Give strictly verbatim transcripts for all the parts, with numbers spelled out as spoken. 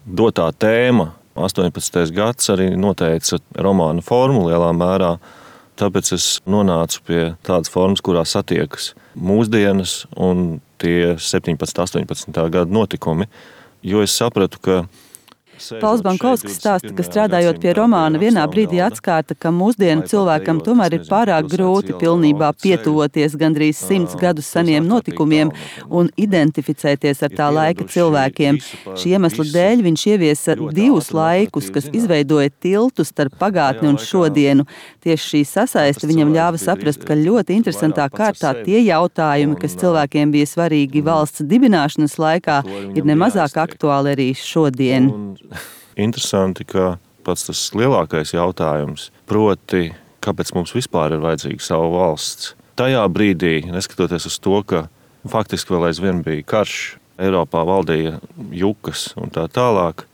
dotā tēma, astoņpadsmitais gads, arī noteica romāna formu lielā mērā. Tāpēc es nonācu pie tādas formas, kurā satiekas mūsdienas un tie septiņpadsmitā, astoņpadsmitā gada notikumi, jo es sapratu, ka Pauls Bankovskis stāsta, ka strādājot pie romāna vienā brīdī atskārta, ka mūsdienu cilvēkam tomēr ir pārāk grūti pilnībā pietuvoties gandrīz simts gadus seniem notikumiem un identificēties ar tā laika cilvēkiem. Šī iemesla dēļ viņš ieviesa divus laikus, kas izveidoja tiltu starp pagātni un šodienu. Tieši šī sasaiste viņam ļāva saprast, ka ļoti interesantā kārtā tie jautājumi, kas cilvēkiem bija svarīgi valsts dibināšanas laikā, ir nemazāk aktuāli arī šodien. Interesanti, ka pats tas lielākais jautājums, proti, kāpēc mums vispār ir vajadzīga sava valsts. Tajā brīdī, neskatoties uz to, ka faktiski vēl aizvien bija karš, Eiropā valdīja jukas un tā tālāk,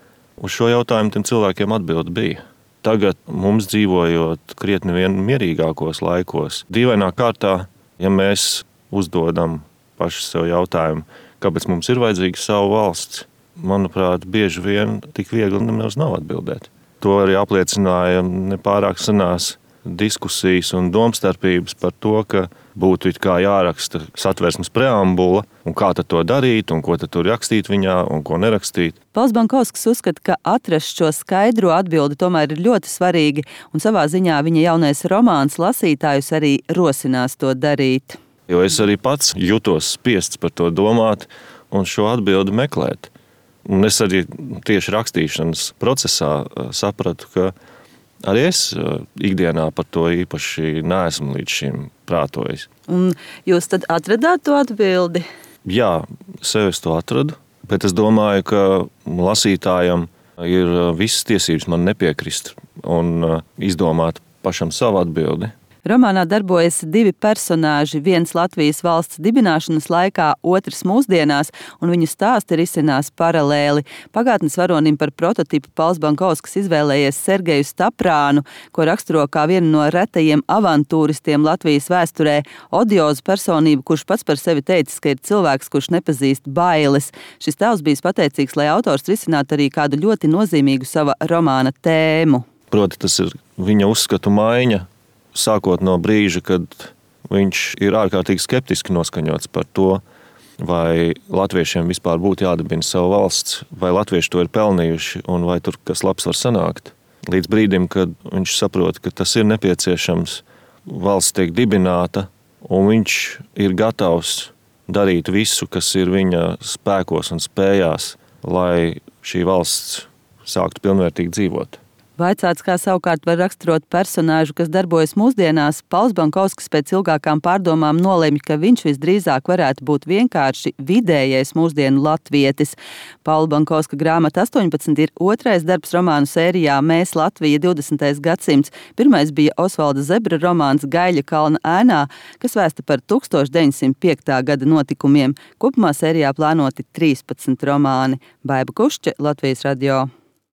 uz šo jautājumu tiem cilvēkiem atbilde bija. Tagad mums dzīvojot krietni vien mierīgākos laikos, dīvainā kārtā, ja mēs uzdodam paši sev jautājumu, kāpēc mums ir vajadzīga sava valsts, manuprāt, bieži vien tik viegli nemaz nav atbildēt. To arī apliecināja nepārāk senās diskusijas un domstarpības par to, ka būtu it kā jāraksta Satversmes preambula, un kā tad to darīt, un ko tad tur rakstīt viņā, un ko nerakstīt. Pauls Bankovskis uzskata, ka atrast šo skaidro atbildi tomēr ir ļoti svarīgi, un savā ziņā viņa jaunais romāns lasītājus arī rosinās to darīt. Jo es arī pats jutos spiests par to domāt un šo atbildi meklēt. Un es arī tieši rakstīšanas procesā sapratu, ka arī es ikdienā par to īpaši neesmu līdz šim prātojis. Un jūs tad atradāt to atbildi? Jā, sev es to atradu, bet es domāju, ka lasītājam ir visas tiesības man nepiekrist un izdomāt pašam savu atbildi. Romānā darbojas divi personāži, viens Latvijas valsts dibināšanas laikā, otrs mūsdienās, un viņu stāsti risinās paralēli. Pagātnes varonim par prototipu Pauls Bankovskis izvēlējies Sergeju Staprānu, ko raksturo kā vienu no retajiem avantūristiem Latvijas vēsturē, odiozu personību, kurš pats par sevi teicis, ka ir cilvēks, kurš nepazīst bailes. Šis tēls bijis pateicīgs, lai autors risinātu arī kādu ļoti nozīmīgu sava romāna tēmu. Proti, tas ir viņa uzskatu maiņa. Sākot no brīža, kad viņš ir ārkārtīgi skeptiski noskaņots par to, vai latviešiem vispār būtu jādibina savu valsts, vai latvieši to ir pelnījuši un vai tur kas labs var sanākt. Līdz brīdim, kad viņš saprot, ka tas ir nepieciešams, valsts tiek dibināta un viņš ir gatavs darīt visu, kas ir viņa spēkos un spējās, lai šī valsts sāktu pilnvērtīgi dzīvot. Vaicāts, kā savukārt var raksturot personāžu, kas darbojas mūsdienās, Pauls Bankovskis pēc ilgākām pārdomām nolemj, ka viņš visdrīzāk varētu būt vienkārši vidējais mūsdienu latvietis. Paula Bankovska grāmata astoņpadsmit ir otrais darbs romānu sērijā Mēs Latvija divdesmitais gadsimts. Pirmais bija Osvalda Zebra romāns Gaļa kalna ēnā, kas vēsta par tūkstoš deviņsimt piektā gada notikumiem. Kopumā sērijā plānoti trīspadsmit romāni. Baiba Kušķe, Latvijas radio.